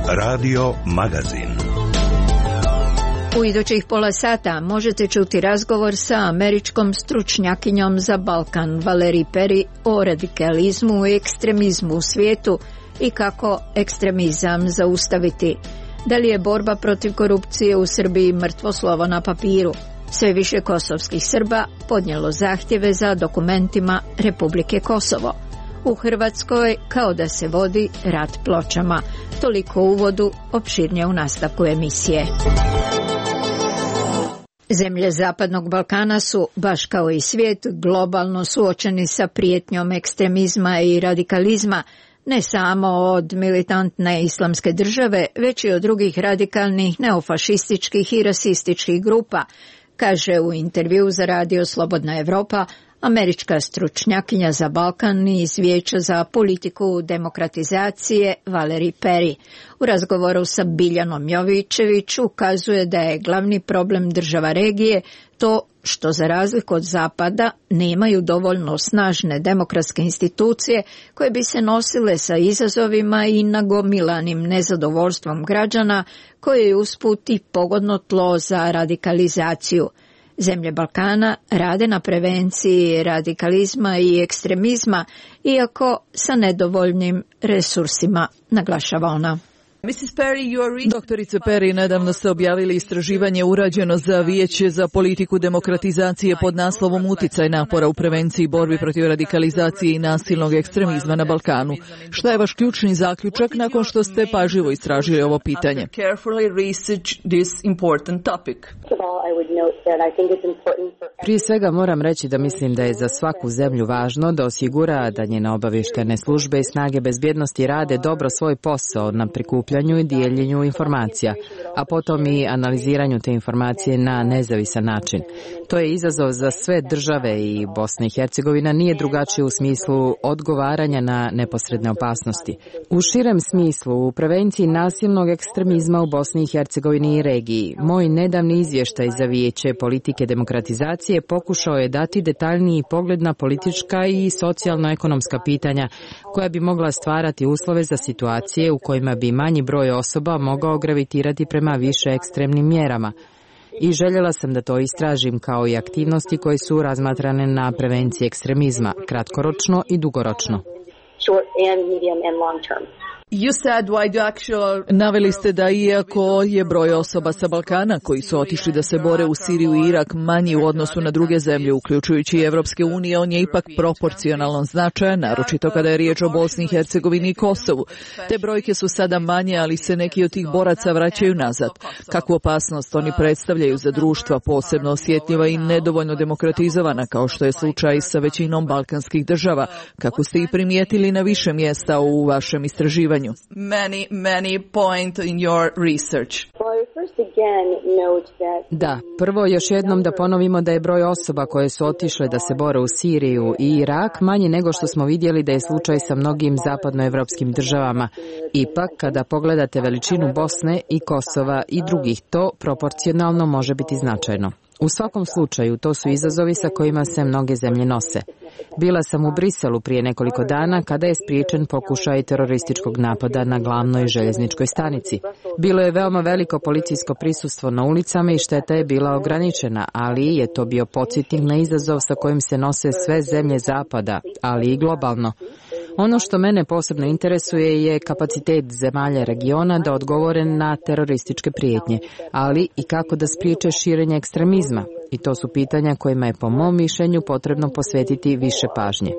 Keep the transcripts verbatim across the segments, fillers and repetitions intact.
Radio Magazin. U idućih pola sata možete čuti razgovor sa američkom stručnjakinjom za Balkan Valerie Perry o radikalizmu i ekstremizmu u svijetu i kako ekstremizam zaustaviti. Da li je borba protiv korupcije u Srbiji mrtvo slovo na papiru? Sve više kosovskih Srba podnijelo zahtjeve za dokumentima Republike Kosovo. U Hrvatskoj kao da se vodi rat pločama. Toliko u uvodu, opširnije u nastavku emisije. Zemlje Zapadnog Balkana su, baš kao i svijet, globalno suočeni sa prijetnjom ekstremizma i radikalizma, ne samo od militantne islamske države, već i od drugih radikalnih neofašističkih i rasističkih grupa, kaže u intervju za radio Slobodna Evropa američka stručnjakinja za Balkan iz Vijeća za politiku demokratizacije Valerie Perry. U razgovoru sa Biljanom Jovićević ukazuje da je glavni problem država regije to što za razliku od Zapada nemaju dovoljno snažne demokratske institucije koje bi se nosile sa izazovima i nagomilanim nezadovoljstvom građana koje je usput i pogodno tlo za radikalizaciju. Zemlje Balkana rade na prevenciji radikalizma i ekstremizma, iako sa nedovoljnim resursima, naglašava ona. Doktorice Perry, nedavno ste objavili istraživanje urađeno za Vijeće za politiku demokratizacije pod naslovom Uticaj napora u prevenciji i borbi protiv radikalizacije i nasilnog ekstremizma na Balkanu. Šta je vaš ključni zaključak nakon što ste pažljivo istražili ovo pitanje? Prije svega moram reći da mislim da je za svaku zemlju važno da osigura da njene obavještajne službe i snage bezbjednosti rade dobro svoj posao na prikupljanju i dijeljenju informacija, a potom i analiziranju te informacije na nezavisan način. To je izazov za sve države i Bosna i Hercegovina nije drugačije u smislu odgovaranja na neposredne opasnosti. U širem smislu, u prevenciji nasilnog ekstremizma u Bosni i Hercegovini i regiji, moj nedavni izvještaj za Vijeće politike demokratizacije pokušao je dati detaljniji pogled na politička i socijalno-ekonomska pitanja koja bi mogla stvarati uslove za situacije u kojima bi manji broj osoba mogao gravitirati prema više ekstremnim mjerama. I željela sam da to istražim kao i aktivnosti koje su razmatrane na prevenciji ekstremizma, kratkoročno i dugoročno. Naveli ste da iako je broj osoba sa Balkana koji su otišli da se bore u Siriju i Irak manji u odnosu na druge zemlje, uključujući i Evropske unije, on je ipak proporcionalno značajan, naročito kada je riječ o Bosni i Hercegovini i Kosovu. Te brojke su sada manje, ali se neki od tih boraca vraćaju nazad. Kakvu opasnost oni predstavljaju za društva posebno osjetljiva i nedovoljno demokratizovana, kao što je slučaj sa većinom balkanskih država, kako ste i primijetili na više mjesta u vašem istraživanju? Many, many point in your research. Da, prvo još jednom da ponovimo da je broj osoba koje su otišle da se bore u Siriju i Irak manji nego što smo vidjeli da je slučaj sa mnogim zapadnoevropskim državama. Ipak, kada pogledate veličinu Bosne i Kosova i drugih, to proporcionalno može biti značajno. U svakom slučaju, to su izazovi sa kojima se mnoge zemlje nose. Bila sam u Briselu prije nekoliko dana kada je spriječen pokušaj terorističkog napada na glavnoj željezničkoj stanici. Bilo je veoma veliko policijsko prisustvo na ulicama i šteta je bila ograničena, ali je to bio podsjetnik na izazov sa kojim se nose sve zemlje Zapada, ali i globalno. Ono što mene posebno interesuje je kapacitet zemalja regiona da odgovore na terorističke prijetnje, ali i kako da spriječe širenje ekstremizma. I to su pitanja kojima je po mom mišljenju potrebno posvetiti više pažnje.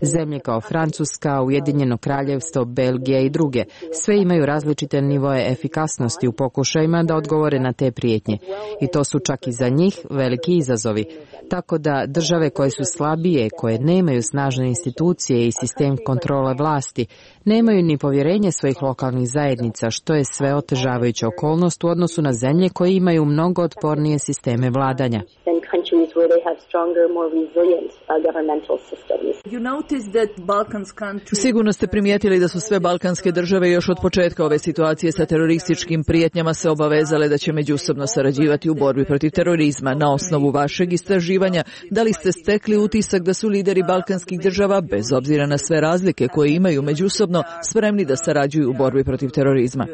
Zemlje kao Francuska, Ujedinjeno Kraljevstvo, Belgija i druge sve imaju različite nivoe efikasnosti u pokušajima da odgovore na te prijetnje. I to su čak i za njih veliki izazovi. Tako da države koje su slabije, koje nemaju snažne institucije i sistem kontrole vlasti, nemaju ni povjerenje svojih lokalnih zajednica, što je sve otežavajuća okolnost u odnosu na zemlje koje imaju mnogo otpornije sisteme vladanja. Sigurno ste primijetili da su sve balkanske države još od početka ove situacije sa terorističkim prijetnjama se obavezale da će međusobno sarađivati u borbi protiv terorizma. Na osnovu vašeg istraživanja, da li ste stekli utisak da su lideri balkanskih država, bez obzira na sve razlike koje imaju međusobno, spremni da sarađuju u borbi protiv terorizma?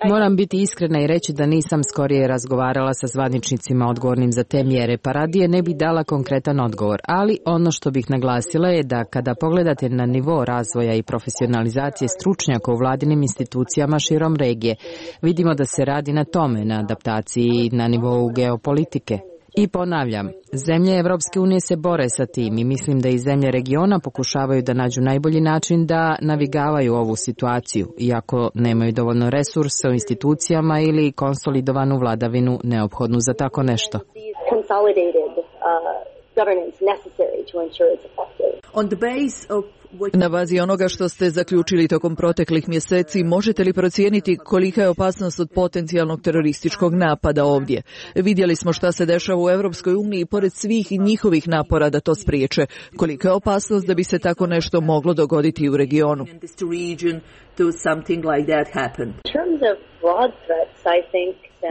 Moram biti iskrena i reći da nisam skorije razgovarala sa zvaničnicima odgovornim za te mjere, pa radije ne bi dala konkretan odgovor. Ali ono što bih naglasila je da kada pogledate na nivo razvoja i profesionalizacije stručnjaka u vladinim institucijama širom regije, vidimo da se radi na tome, na adaptaciji na nivou geopolitike. I ponavljam, zemlje Evropske unije se bore sa tim i mislim da i zemlje regiona pokušavaju da nađu najbolji način da navigavaju ovu situaciju, iako nemaju dovoljno resursa u institucijama ili konsolidovanu vladavinu neophodnu za tako nešto. Na bazi onoga što ste zaključili tokom proteklih mjeseci, možete li procijeniti kolika je opasnost od potencijalnog terorističkog napada ovdje? Vidjeli smo šta se dešava u Europskoj uniji pored svih njihovih napora da to spriječe. Kolika je opasnost da bi se tako nešto moglo dogoditi u regionu?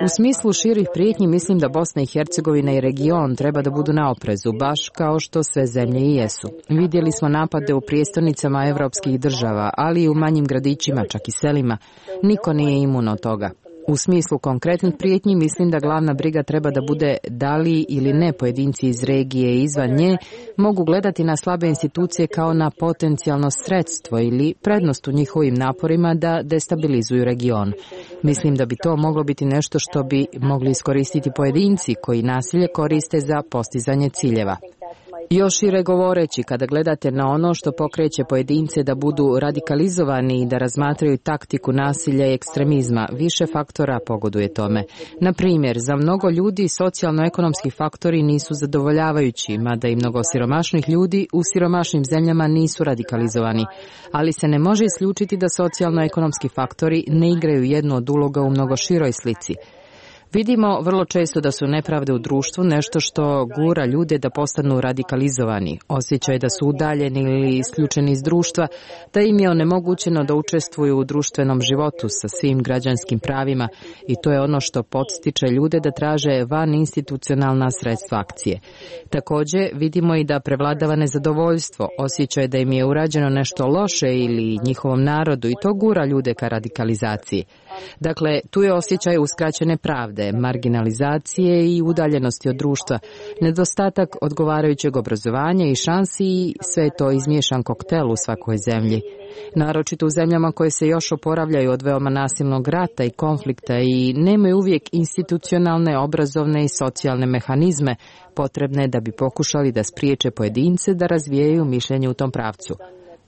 U smislu širih prijetnji mislim da Bosna i Hercegovina i region treba da budu na oprezu, baš kao što sve zemlje i jesu. Vidjeli smo napade u prijestolnicama evropskih država, ali i u manjim gradićima, čak i selima. Niko nije imun od toga. U smislu konkretnih prijetnji mislim da glavna briga treba da bude da li ili ne pojedinci iz regije i izvan nje mogu gledati na slabe institucije kao na potencijalno sredstvo ili prednost u njihovim naporima da destabilizuju region. Mislim da bi to moglo biti nešto što bi mogli iskoristiti pojedinci koji nasilje koriste za postizanje ciljeva. Još šire govoreći, kada gledate na ono što pokreće pojedince da budu radikalizovani i da razmatraju taktiku nasilja i ekstremizma, više faktora pogoduje tome. Na primjer, za mnogo ljudi socijalno-ekonomski faktori nisu zadovoljavajući, mada i mnogo siromašnih ljudi u siromašnim zemljama nisu radikalizovani, ali se ne može isključiti da socijalno-ekonomski faktori ne igraju jednu od uloga u mnogo široj slici. Vidimo vrlo često da su nepravde u društvu nešto što gura ljude da postanu radikalizovani, osjećaj da su udaljeni ili isključeni iz društva, da im je onemogućeno da učestvuju u društvenom životu sa svim građanskim pravima i to je ono što podstiče ljude da traže van institucionalna sredstva akcije. Također vidimo i da prevladava nezadovoljstvo, osjećaj da im je urađeno nešto loše ili njihovom narodu i to gura ljude ka radikalizaciji. Dakle, tu je osjećaj uskraćene pravde, marginalizacije i udaljenosti od društva, nedostatak odgovarajućeg obrazovanja i šansi i sve je to izmiješan koktel u svakoj zemlji. Naročito u zemljama koje se još oporavljaju od veoma nasilnog rata i konflikta i nemaju uvijek institucionalne, obrazovne i socijalne mehanizme potrebne da bi pokušali da spriječe pojedince da razvijaju mišljenje u tom pravcu.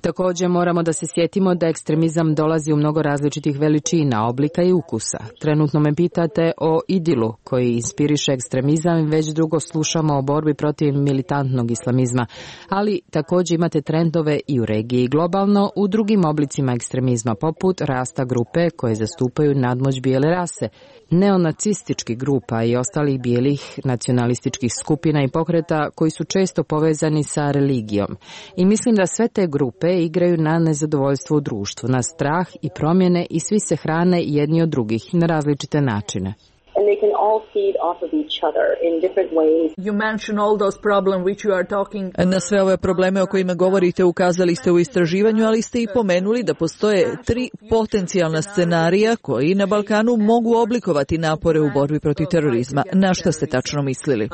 Također moramo da se sjetimo da ekstremizam dolazi u mnogo različitih veličina, oblika i ukusa. Trenutno me pitate o idilu koji inspiriše ekstremizam i već drugo slušamo o borbi protiv militantnog islamizma, ali također imate trendove i u regiji i globalno u drugim oblicima ekstremizma poput rasta grupe koje zastupaju nadmoć bijele rase, neonacističkih grupa i ostalih bijelih nacionalističkih skupina i pokreta koji su često povezani sa religijom. I mislim da sve te grupe igraju na nezadovoljstvo u društvu, na strah i promjene i svi se hrane jedni od drugih na različite načine. And they can all feed off of each other in different ways. You mentioned all those problems which you are talking. Na sve ove probleme o kojima govorite ukazali ste u istraživanju, ali ste i pomenuli da postoje tri potencijalna scenarija koji na Balkanu mogu oblikovati napore u borbi protiv terorizma. Na šta ste tačno mislili? Uh,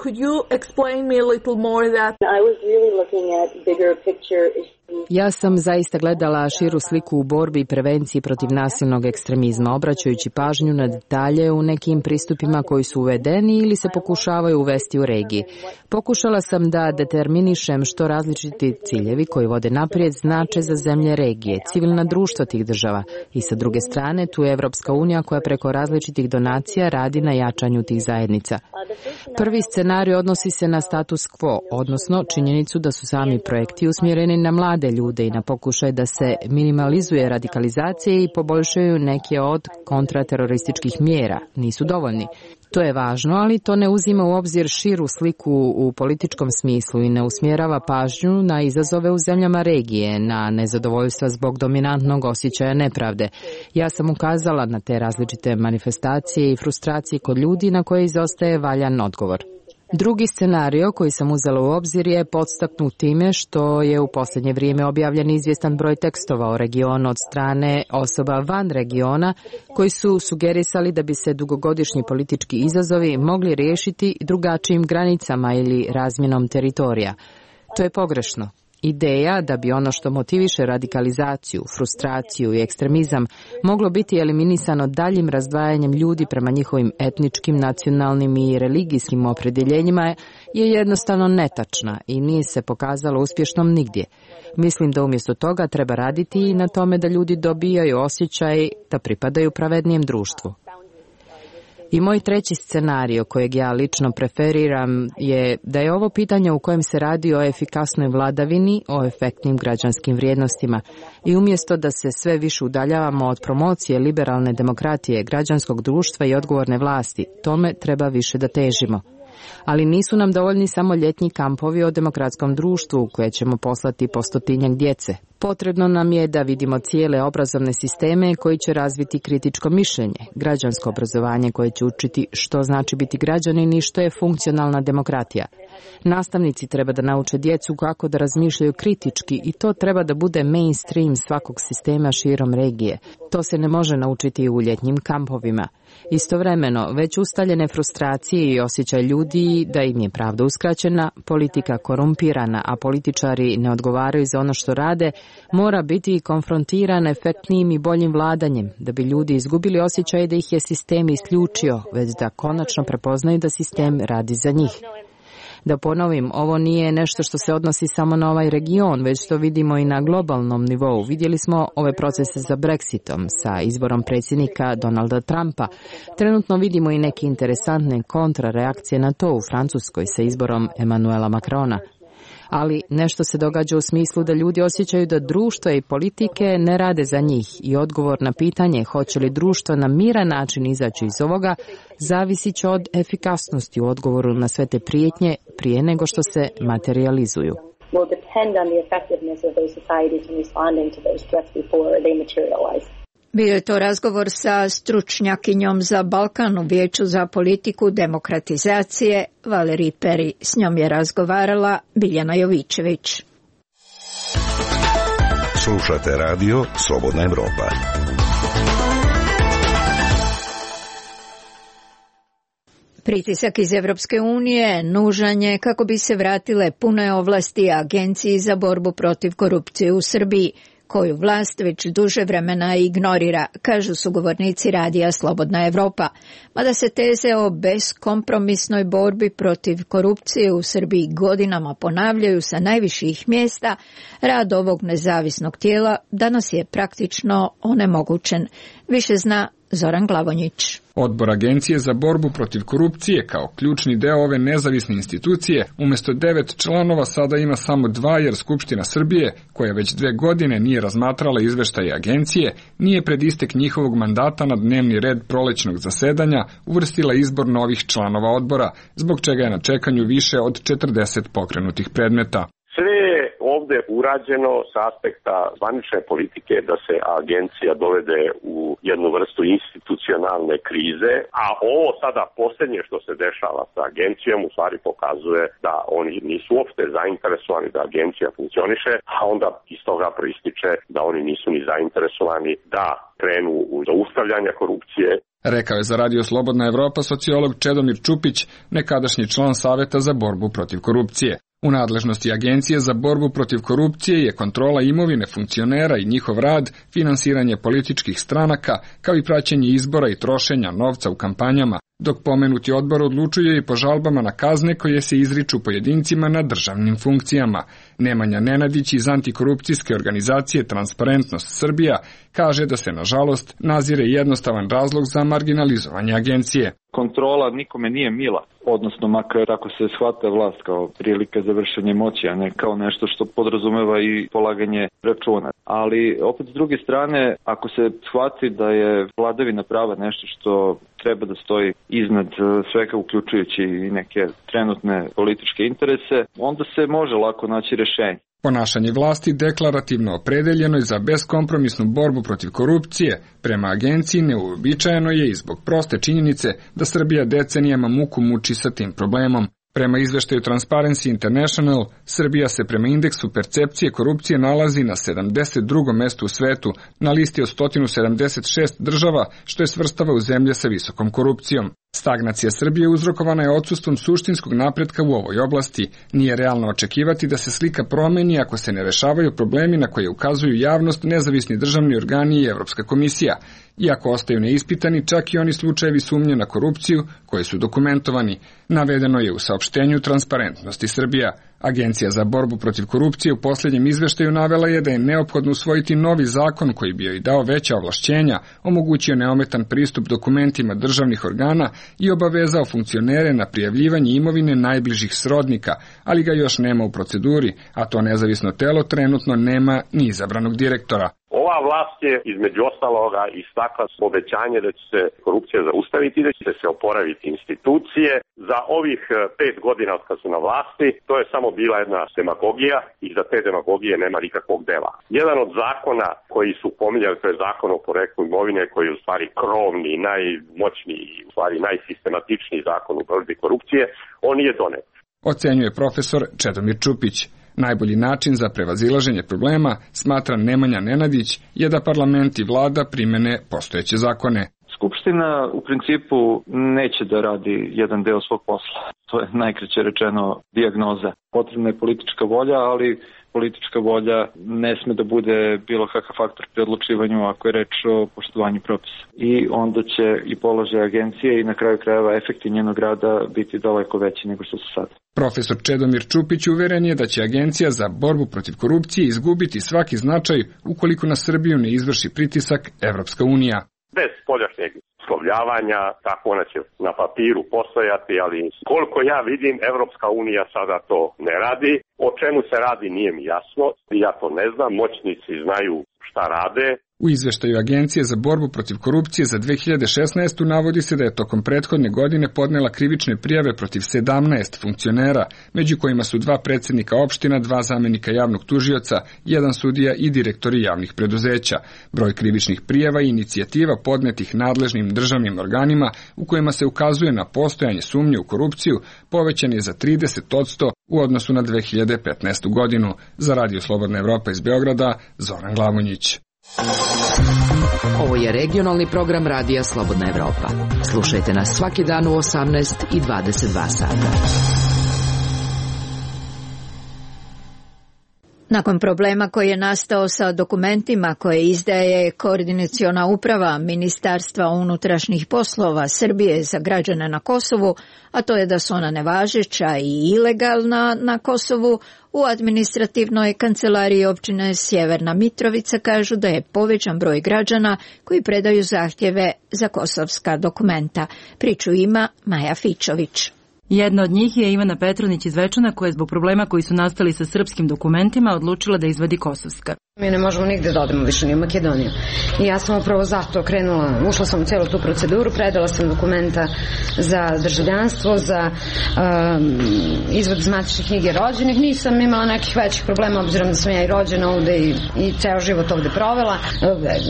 could you explain me a little more that? I was really looking at bigger picture issues. Ja sam zaista gledala širu sliku u borbi i prevenciji protiv nasilnog ekstremizma, obraćajući pažnju na detalje u nekim pristupima koji su uvedeni ili se pokušavaju uvesti u regiji. Pokušala sam da determinišem što različiti ciljevi koji vode naprijed znače za zemlje regije, civilna društva tih država i sa druge strane tu je Evropska unija koja preko različitih donacija radi na jačanju tih zajednica. Prvi scenarij odnosi se na status quo, odnosno činjenicu da su sami projekti usmjereni na mlade mlade ljude i na pokušaj da se minimalizuje radikalizacija i poboljšaju neke od kontraterorističkih mjera. Nisu dovoljni. To je važno, ali to ne uzima u obzir širu sliku u političkom smislu i ne usmjerava pažnju na izazove u zemljama regije, na nezadovoljstva zbog dominantnog osjećaja nepravde. Ja sam ukazala na te različite manifestacije i frustracije kod ljudi na koje izostaje valjan odgovor. Drugi scenario koji sam uzela u obzir je podstaknut time što je u posljednje vrijeme objavljen izvjestan broj tekstova o regionu od strane osoba van regiona koji su sugerisali da bi se dugogodišnji politički izazovi mogli riješiti drugačijim granicama ili razmjenom teritorija. To je pogrešno. Ideja da bi ono što motiviše radikalizaciju, frustraciju i ekstremizam moglo biti eliminisano daljim razdvajanjem ljudi prema njihovim etničkim, nacionalnim i religijskim opredjeljenjima je jednostavno netačna i nije se pokazalo uspješnom nigdje. Mislim da umjesto toga treba raditi i na tome da ljudi dobijaju osjećaj da pripadaju pravednijem društvu. I moj treći scenario kojeg ja lično preferiram je da je ovo pitanje u kojem se radi o efikasnoj vladavini, o efektnim građanskim vrijednostima i umjesto da se sve više udaljavamo od promocije liberalne demokratije, građanskog društva i odgovorne vlasti, tome treba više da težimo. Ali nisu nam dovoljni samo ljetni kampovi o demokratskom društvu u koje ćemo poslati po stotinjak djece. Potrebno nam je da vidimo cijele obrazovne sisteme koji će razviti kritičko mišljenje, građansko obrazovanje koje će učiti što znači biti građanin i što je funkcionalna demokratija. Nastavnici treba da nauče djecu kako da razmišljaju kritički i to treba da bude mainstream svakog sistema širom regije. To se ne može naučiti u ljetnjim kampovima. Istovremeno, već ustaljene frustracije i osjećaj ljudi da im je pravda uskraćena, politika korumpirana, a političari ne odgovaraju za ono što rade, mora biti konfrontiran efektnijim i boljim vladanjem, da bi ljudi izgubili osjećaj da ih je sistem isključio, već da konačno prepoznaju da sistem radi za njih. Da ponovim, ovo nije nešto što se odnosi samo na ovaj region, već što vidimo i na globalnom nivou. Vidjeli smo ove procese za Brexitom, sa izborom predsjednika Donalda Trumpa. Trenutno vidimo i neke interesantne kontrareakcije na to u Francuskoj sa izborom Emmanuela Macrona. Ali nešto se događa u smislu da ljudi osjećaju da društvo i politike ne rade za njih i odgovor na pitanje hoće li društvo na miran način izaći iz ovoga zavisit će od efikasnosti u odgovoru na sve te prijetnje prije nego što se materializuju. Will depend on the effectiveness of those societies in responding to those threats before they materialize. Bio je to razgovor sa stručnjakinjom za Balkan u Vijeću za politiku demokratizacije Valerij Peri. S njom je razgovarala Biljana Jovićević. Slušate radio Slobodna Evropa. Pritisak iz Evropske unije nužan je kako bi se vratile pune ovlasti Agenciji za borbu protiv korupcije u Srbiji, koju vlast već duže vremena ignorira, kažu sugovornici radija Slobodna Evropa. Mada se teze o beskompromisnoj borbi protiv korupcije u Srbiji godinama ponavljaju sa najviših mjesta, rad ovog nezavisnog tijela danas je praktično onemogućen. Više zna Zoran Glavonjić. Odbor Agencije za borbu protiv korupcije kao ključni deo ove nezavisne institucije umjesto devet članova sada ima samo dva jer Skupština Srbije, koja već dve godine nije razmatrala izveštaje agencije, nije pred istek njihovog mandata na dnevni red prolećnog zasedanja uvrstila izbor novih članova odbora, zbog čega je na čekanju više od četrdeset pokrenutih predmeta. Sve je ovdje urađeno s aspekta zvanične politike da se agencija dovede u jednu vrstu institucionalne krize, a ovo sada posljednje što se dešava sa agencijom u stvari pokazuje da oni nisu uopšte zainteresovani da agencija funkcioniše, a onda iz toga proističe da oni nisu ni zainteresovani da krenu u zaustavljanje korupcije. Rekao je za Radio Slobodna Evropa sociolog Čedomir Čupić, nekadašnji član Saveta za borbu protiv korupcije. U nadležnosti Agencije za borbu protiv korupcije je kontrola imovine funkcionera i njihov rad, finansiranje političkih stranaka, kao i praćenje izbora i trošenja novca u kampanjama, dok pomenuti odbor odlučuje i po žalbama na kazne koje se izriču pojedincima na državnim funkcijama. Nemanja Nenadić iz antikorupcijske organizacije Transparentnost Srbija kaže da se, nažalost, nazire jednostavan razlog za marginalizovanje agencije. kontrola nikome nije mila, odnosno makar ako se shvata vlast kao prilika za vršenje moći, a ne kao nešto što podrazumeva i polaganje računa. Ali opet s druge strane, ako se shvati da je vladavina prava nešto što treba da stoji iznad svega, uključujući i neke trenutne političke interese, onda se može lako naći rešenje. Ponašanje vlasti deklarativno opredeljeno je za beskompromisnu borbu protiv korupcije prema agenciji neuobičajeno je i zbog proste činjenice da Srbija decenijama muku muči sa tim problemom. Prema izveštaju Transparency International, Srbija se prema indeksu percepcije korupcije nalazi na sedamdeset drugom mestu u svetu, na listi od sto sedamdeset šest država, što je svrstava u zemlje sa visokom korupcijom. Stagnacija Srbije uzrokovana je odsustvom suštinskog napretka u ovoj oblasti. Nije realno očekivati da se slika promeni ako se ne rešavaju problemi na koje ukazuju javnost, nezavisni državni organi i Evropska komisija. Iako ostaju neispitani čak i oni slučajevi sumnje na korupciju koji su dokumentovani, navedeno je u saopštenju Transparentnosti Srbija. Agencija za borbu protiv korupcije u posljednjem izveštaju navela je da je neophodno usvojiti novi zakon koji bi joj dao veća ovlašćenja, omogućio neometan pristup dokumentima državnih organa i obavezao funkcionere na prijavljivanje imovine najbližih srodnika, ali ga još nema u proceduri, a to nezavisno telo trenutno nema ni izabranog direktora. Ova vlast je između ostaloga istakla obećanje da će se korupcija zaustaviti, da će se oporaviti institucije. Za ovih pet godina od kad su na vlasti, to je samo bila jedna demagogija i za te demagogije nema nikakvog dela. Jedan od zakona koji su pominjali, to je zakon o poreklu imovine, koji je u stvari krovni, najmoćniji, u stvari najsistematičniji zakon u borbi korupcije, on nije donet. Ocenjuje profesor Čedomir Čupić. Najbolji način za prevazilaženje problema, smatra Nemanja Nenadić, je da parlament i vlada primene postojeće zakone. Skupština u principu neće da radi jedan deo svog posla. To je najkraće rečeno dijagnoza. Potrebna je politička volja, ali politička volja ne sme da bude bilo kakav faktor pri odlučivanju ako je reč o poštovanju propisa. I onda će i položaj agencije i na kraju krajeva efekti njenog rada biti daleko veći nego što su sada. Profesor Čedomir Čupić uveren je da će Agencija za borbu protiv korupcije izgubiti svaki značaj ukoliko na Srbiju ne izvrši pritisak Evropska unija. Bez spoljašnjeg uslovljavanja, tako ona će na papiru postojati, ali koliko ja vidim, Evropska unija sada to ne radi. O čemu se radi nije mi jasno, ja to ne znam, moćnici znaju šta rade. U izveštaju Agencije za borbu protiv korupcije za dve hiljade šesnaestu. navodi se da je tokom prethodne godine podnela krivične prijave protiv sedamnaest funkcionera, među kojima su dva predsjednika opština, dva zamenika javnog tužioca, jedan sudija i direktori javnih preduzeća. Broj krivičnih prijava i inicijativa podnetih nadležnim državnim organima u kojima se ukazuje na postojanje sumnje u korupciju povećan je za trideset posto u odnosu na dve hiljade petnaestu. godinu. Za Radio Slobodna Evropa iz Beograda, Zoran Glavonjić. Ovo je regionalni program Radija Slobodna Evropa. Slušajte nas svaki dan u osamnaest i dvadeset dva sata. Nakon problema koji je nastao sa dokumentima koje izdaje Koordinaciona uprava Ministarstva unutrašnjih poslova Srbije za građane na Kosovu, a to je da su ona nevažeća i ilegalna na Kosovu, u administrativnoj kancelariji općine Sjeverna Mitrovica kažu da je povećan broj građana koji predaju zahtjeve za kosovska dokumenta. Priču ima Maja Fičović. Jedna od njih je Ivana Petronić iz Večana, koja je zbog problema koji su nastali sa srpskim dokumentima odlučila da izvadi kosovska. Mi ne možemo nigde da odemo više ni u Makedoniju. I ja sam upravo zato krenula, ušla sam u celu tu proceduru, predala sam dokumenta za državljanstvo, za um, izvod iz matične knjige rođenih. Nisam imala nekih većih problema, obzirom da sam ja i rođena ovde i, i ceo život ovde provela.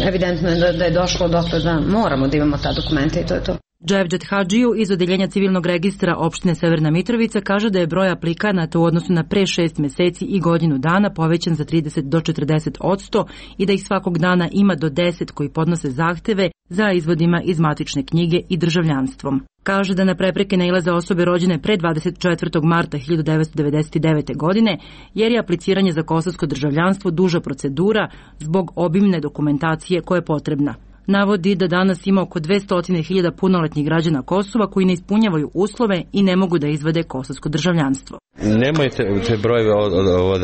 Evidentno je da, da je došlo do toga da moramo da imamo ta dokumenta i to je to. Dževđet Hadžiju iz Odeljenja civilnog registra opštine Severna Mitrovica kaže da je broj aplikanata u odnosu na pre šest meseci i godinu dana povećan za trideset do četrdeset posto i da ih svakog dana ima do deset koji podnose zahteve za izvodima iz matične knjige i državljanstvom. Kaže da na prepreke nailaze osobe rođene pre dvadeset četvrtog marta hiljadu devetsto devedeset devete. godine, jer je apliciranje za kosovsko državljanstvo duža procedura zbog obimne dokumentacije koja je potrebna. Navodi da danas ima oko dvesta hiljada punoletnih građana Kosova koji ne ispunjavaju uslove i ne mogu da izvade kosovsko državljanstvo. Nemojte te brojeve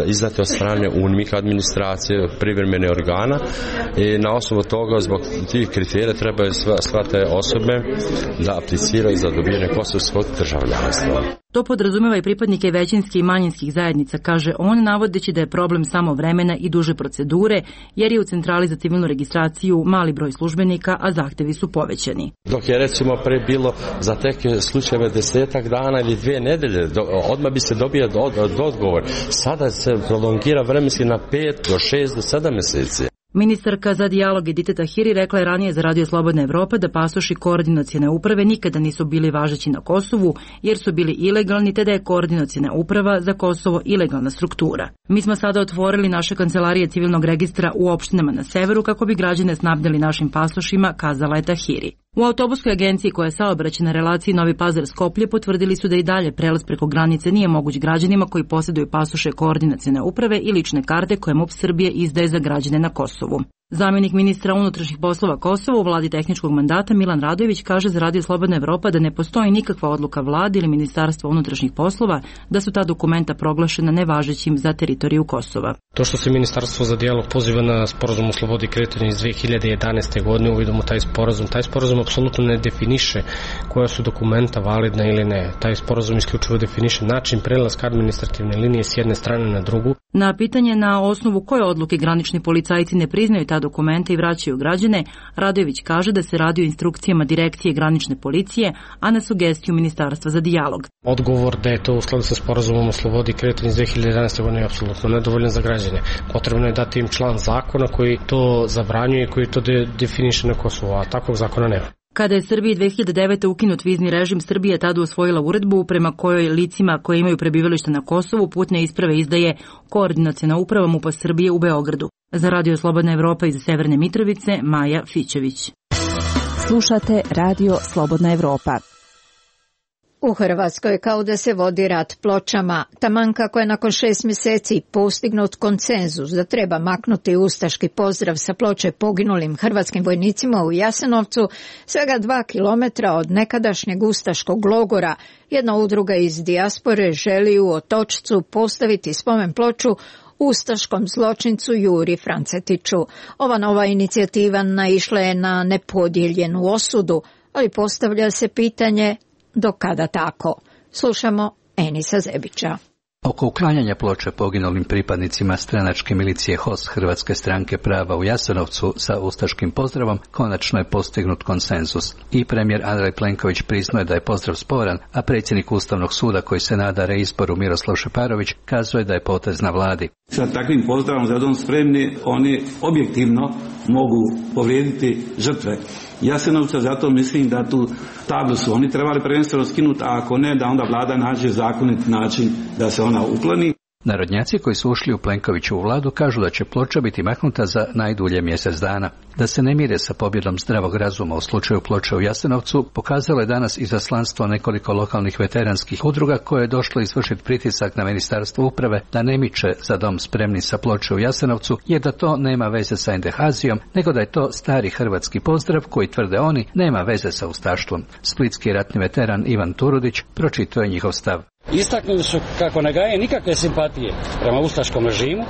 izdate od strane U N M I K administracije, privremene organa i na osnovu toga zbog tih kriterija trebaju sve te osobe da apliciraju za dobijanje kosovskog državljanstva. To podrazumeva i pripadnike većinskih i manjinskih zajednica, kaže on, navodeći da je problem samo vremena i duže procedure, jer je u centrali za civilnu registraciju mali broj službenika, a zahtevi su povećani. Dok je recimo pre bilo za teke slučajeve desetak dana ili dvije nedelje, odmah bi se dobio odgovor. Sada se prolongira vremenski na pet do šest do sedam meseci. Ministarka za dijalog Edita Tahiri rekla je ranije za Radio Slobodna Evropa da pasoši koordinacione uprave nikada nisu bili važeći na Kosovu jer su bili ilegalni, te da je koordinaciona uprava za Kosovo ilegalna struktura. Mi smo sada otvorili naše kancelarije civilnog registra u opštinama na severu kako bi građane snabdeli našim pasošima, kazala je Tahiri. U autobuskoj agenciji koja je saobraćaj na relaciji Novi Pazar-Skoplje potvrdili su da i dalje prelaz preko granice nije moguć građanima koji posjeduju pasoše koordinacione uprave i lične karte koje MUP Srbije izdaje za građane na Kosovu. Zamjenik ministra unutrašnjih poslova Kosova u vladi tehničkog mandata Milan Radojević kaže za Radio Slobodna Evropa da ne postoji nikakva odluka vlade ili ministarstva unutrašnjih poslova da su ta dokumenta proglašena nevažećim za teritoriju Kosova. To što se Ministarstvo za dijalog poziva na sporazum o slobodi kretanja iz dve hiljade jedanaeste. godine, uvidimo taj sporazum. Taj sporazum apsolutno ne definiše koja su dokumenta validna ili ne. Taj sporazum isključivo definiše način prelaska administrativne linije s jedne strane na drugu. Na pitanje na osnovu koje odluke granični policajci ne priznaju ta dokumenta i vraćaju građane, Radojević kaže da se radi o instrukcijama direkcije granične policije, a na sugestiju Ministarstva za dijalog. Odgovor da je to u skladu sa sporazumom o slobodi kretanja iz dve hiljade jedanaeste. godine je apsolutno nedovoljan za građane. Potrebno je dati im član zakona koji to zabranjuje i koji to de, definiše na Kosovu, a takvog zakona nema. Kada je Srbiji dve hiljade devete. ukinut vizni režim, Srbija je tada usvojila uredbu prema kojoj licima koje imaju prebivalište na Kosovu putne isprave izdaje koordinaciona uprava MUP-a Srbije u Beogradu. Za Radio Slobodna Evropa iz Severne Mitrovice, Maja Fićević. Slušate Radio Slobodna Evropa. U Hrvatskoj kao da se vodi rat pločama, taman kako je nakon šest mjeseci postignut konsenzus da treba maknuti ustaški pozdrav sa ploče poginulim hrvatskim vojnicima u Jasenovcu, svega dva kilometra od nekadašnjeg ustaškog logora, jedna udruga iz dijaspore želi u Otočcu postaviti spomen ploču ustaškom zločincu Juri Francetiću. Ova nova inicijativa naišla je na nepodijeljenu osudu, ali postavlja se pitanje do kada tako? Slušamo Enisa Zebića. Oko uklanjanja ploče poginulim pripadnicima stranačke milicije H O S Hrvatske stranke prava u Jasenovcu sa ustaškim pozdravom konačno je postignut konsenzus. I premijer Andrej Plenković priznaje da je pozdrav sporan, a predsjednik Ustavnog suda koji se nada reizboru Miroslav Šeparović kazuje da je potez na vladi. Sa takvim pozdravom za dom spremni oni objektivno mogu povrijediti žrtve Jasenovca, zato mislim da tu tablu su oni trebali prvenstveno skinuti, a ako ne, da onda vlada nađe zakonit način da se ona ukloni. Narodnjaci koji su ušli u Plenkovićevu vladu kažu da će ploča biti maknuta za najdulje mjesec dana. Da se ne mire sa pobjedom zdravog razuma u slučaju ploče u Jasenovcu pokazalo je danas izaslanstvo nekoliko lokalnih veteranskih udruga koje je došlo izvršiti pritisak na Ministarstvo uprave da ne miče za dom spremni sa ploče u Jasenovcu, jer da to nema veze sa endehazijom, nego da je to stari hrvatski pozdrav koji, tvrde oni, nema veze sa ustaštvom. Splitski ratni veteran Ivan Turudić pročitao je njihov stav. Istaknuli su kako ne gaje nikakve simpatije prema ustaškom režimu,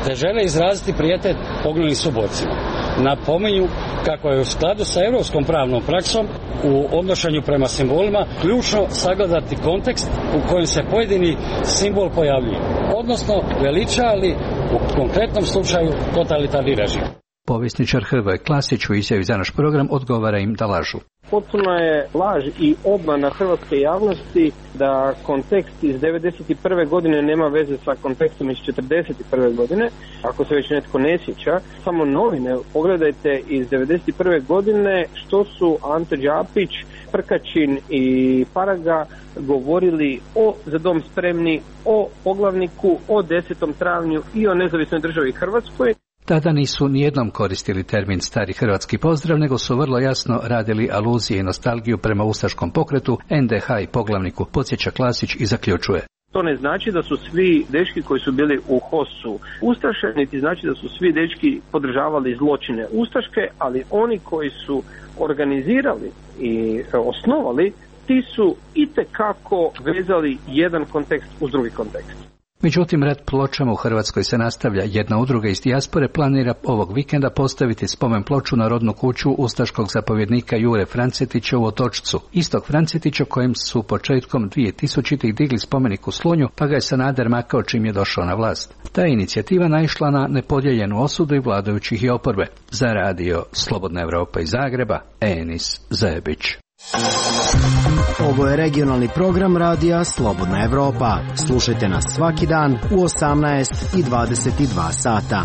te žele izraziti prijetet poginulim suborcima. Napominju kako je u skladu sa europskom pravnom praksom u odnošenju prema simbolima ključno sagledati kontekst u kojem se pojedini simbol pojavljuje, odnosno veliča li u konkretnom slučaju totalitarni režim. Povjesničar Hrvoje Klasić u izjavi za naš program odgovara im da lažu. Potpuno je laž i obmana hrvatske javnosti da kontekst iz devedeset prve. godine nema veze sa kontekstom iz četrdeset prve. godine. Ako se već netko ne sjeća, samo novine, pogledajte iz devedeset prve. godine što su Ante Đapić, Prkačin i Paraga govorili o Za dom spremni, o poglavniku, o desetom travnju i o nezavisnoj državi Hrvatskoj. Tada nisu nijednom koristili termin stari hrvatski pozdrav, nego su vrlo jasno radili aluzije i nostalgiju prema ustaškom pokretu, en de ha i poglavniku, podsjeća Klasić i zaključuje. To ne znači da su svi dečki koji su bili u H O S-u ustaše, niti znači da su svi dečki podržavali zločine ustaške, ali oni koji su organizirali i osnovali, ti su itekako vezali jedan kontekst uz drugi kontekst. Međutim, rat pločama u Hrvatskoj se nastavlja. Jedna udruga iz dijaspore planira ovog vikenda postaviti spomen ploču na rodnu kuću ustaškog zapovjednika Jure Francetića u Otočcu. Istog Francetića kojem su početkom dvije tisućitih digli spomenik u Slunju, pa ga je Sanader makao čim je došao na vlast. Ta je inicijativa naišla na nepodijeljenu osudu i vladajućih i oporbe. Za radio Slobodna Evropa iz Zagreba, Enis Zajebić. Ovo je regionalni program radija Slobodna Evropa. Slušajte nas svaki dan u osamnaest i dvadeset dva sata.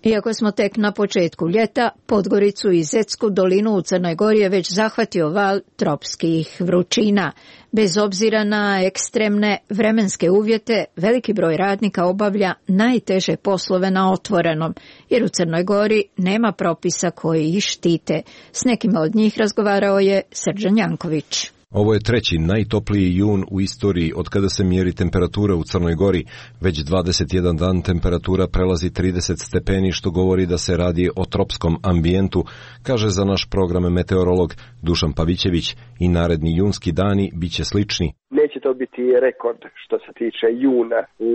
Iako smo tek na početku ljeta, Podgoricu i Zetsku dolinu u Crnoj Gori je već zahvatio val tropskih vrućina. Bez obzira na ekstremne vremenske uvjete, veliki broj radnika obavlja najteže poslove na otvorenom, jer u Crnoj Gori nema propisa koji ih štite. S nekima od njih razgovarao je Srđan Janković. Ovo je treći najtopliji jun u istoriji od kada se mjeri temperatura u Crnoj Gori. Već dvadeset jedan dan temperatura prelazi trideset stepeni, što govori da se radi o tropskom ambijentu, kaže za naš program meteorolog Dušan Pavićević, i naredni junski dani bit će slični. Neće to biti rekord što se tiče juna u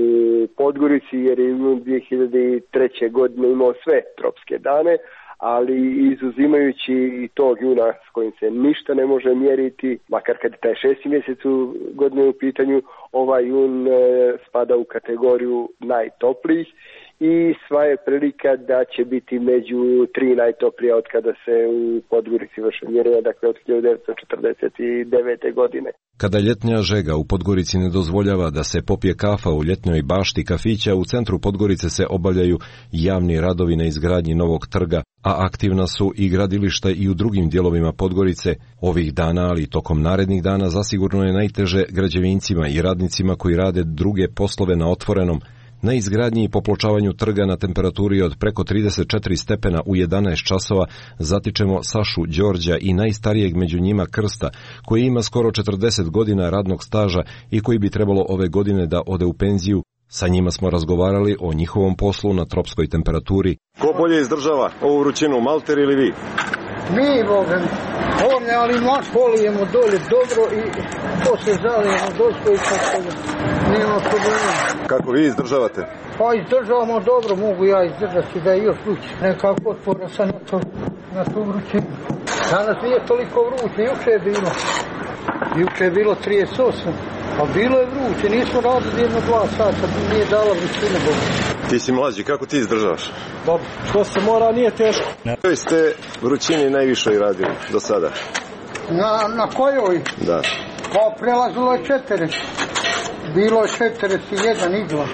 Podgorici, jer je jun dvije hiljade treće. godine imao sve tropske dane, ali izuzimajući i tog juna s kojim se ništa ne može mjeriti, makar kad je taj šesti mjesec u godine u pitanju, ovaj jun e, spada u kategoriju najtoplijih i sva je prilika da će biti među tri najtoplija od kada se u Podgorici vrše mjerenja, dakle od hiljadu devetsto četrdeset devete. godine. Kada ljetnja žega u Podgorici ne dozvoljava da se popije kafa u ljetnoj bašti kafića, u centru Podgorice se obavljaju javni radovi na izgradnji novog trga, a aktivna su i gradilišta i u drugim dijelovima Podgorice. Ovih dana, ali tokom narednih dana, zasigurno je najteže građevincima i radnicima koji rade druge poslove na otvorenom. Na izgradnji i popločavanju trga na temperaturi od preko trideset četiri stepena u jedanaest časova zatičemo Sašu Đorđa i najstarijeg među njima Krsta, koji ima skoro četrdeset godina radnog staža i koji bi trebalo ove godine da ode u penziju. Sa njima smo razgovarali o njihovom poslu na tropskoj temperaturi. Ko bolje izdržava ovu vrućinu, Malter ili vi? Mi, Boga, ovdje, ali mač polijemo dolje dobro i poslije zalijemo dosko i tako da nema problema. Kako vi izdržavate? Pa izdržavamo dobro, mogu ja izdržati da je još vruće. Nekako otvorio sam na, to, na tu vrućinu. Danas nije toliko vruće, juče je bilo. Juče je bilo trideset osam. Pa bilo je vruće, nismo radili jedno dva sata, nije dala vrućina Boga. Ti si mlađi, kako ti izdržavaš? Dobro, što se mora, nije teško. Na kojoj ste vrućini najviše radili do sada? Na, na kojoj? Da. Pa prelazilo je četiri. Bilo je četrdeset jedan i dva.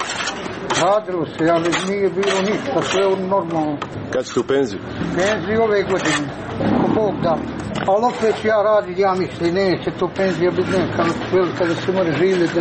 Radilo se, ali nije bilo ništa, sve je normalno. Kad ćete u penziju? Penziju ove godine, ko Bog da. Ali opet ja radim, ja mislim, neće to penzija biti neka velika da se mora živjeti,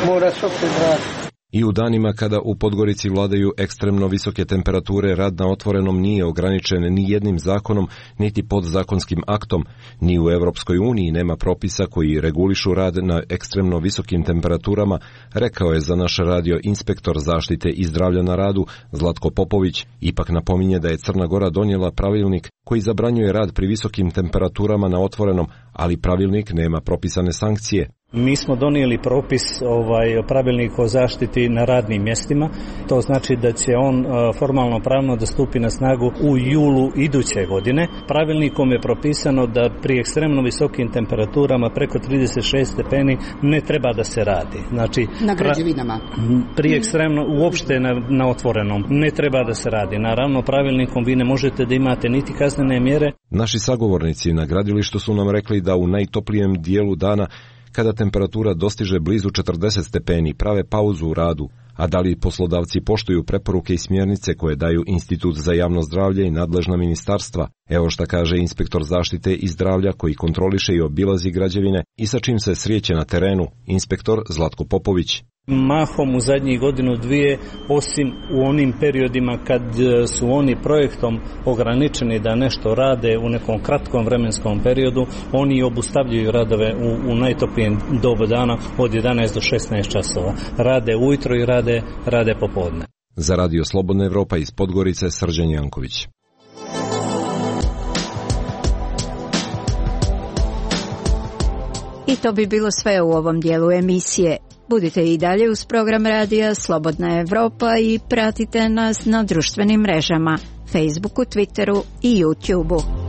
mora se opet raditi. I u danima kada u Podgorici vladaju ekstremno visoke temperature, rad na otvorenom nije ograničen ni jednim zakonom, niti podzakonskim aktom. Ni u Europskoj uniji nema propisa koji regulišu rad na ekstremno visokim temperaturama, rekao je za naš radio inspektor zaštite i zdravlja na radu Zlatko Popović. Ipak napominje da je Crna Gora donijela pravilnik koji zabranjuje rad pri visokim temperaturama na otvorenom, ali pravilnik nema propisane sankcije. Mi smo donijeli propis, ovaj, pravilnik o zaštiti na radnim mjestima. To znači da će on formalno pravno da stupi na snagu u julu iduće godine. Pravilnikom je propisano da pri ekstremno visokim temperaturama preko trideset šest stepeni ne treba da se radi. Znači, na građevinama. Pri ekstremno, uopšte na, na otvorenom, ne treba da se radi. Naravno, pravilnikom vi ne možete da imate niti kaznene mjere. Naši sagovornici na gradilištu su nam rekli da u najtoplijem dijelu dana, kada temperatura dostiže blizu četrdeset stepeni, prave pauzu u radu. A da li poslodavci poštuju preporuke i smjernice koje daju Institut za javno zdravlje i nadležna ministarstva? Evo šta kaže inspektor zaštite i zdravlja koji kontroliše i obilazi građevine i sa čim se sreće na terenu, inspektor Zlatko Popović. Mahom u zadnjih godinu dvije, osim u onim periodima kad su oni projektom ograničeni da nešto rade u nekom kratkom vremenskom periodu, oni obustavljaju radove u, u najtoplijem dobu dana od jedanaest do šesnaest časova. Rade ujutro i rade, rade popodne. Za Radio Slobodna Evropa iz Podgorice, Srđan Janković. I to bi bilo sve u ovom dijelu emisije. Budite i dalje uz program radija Slobodna Evropa i pratite nas na društvenim mrežama, Facebooku, Twitteru i YouTubeu.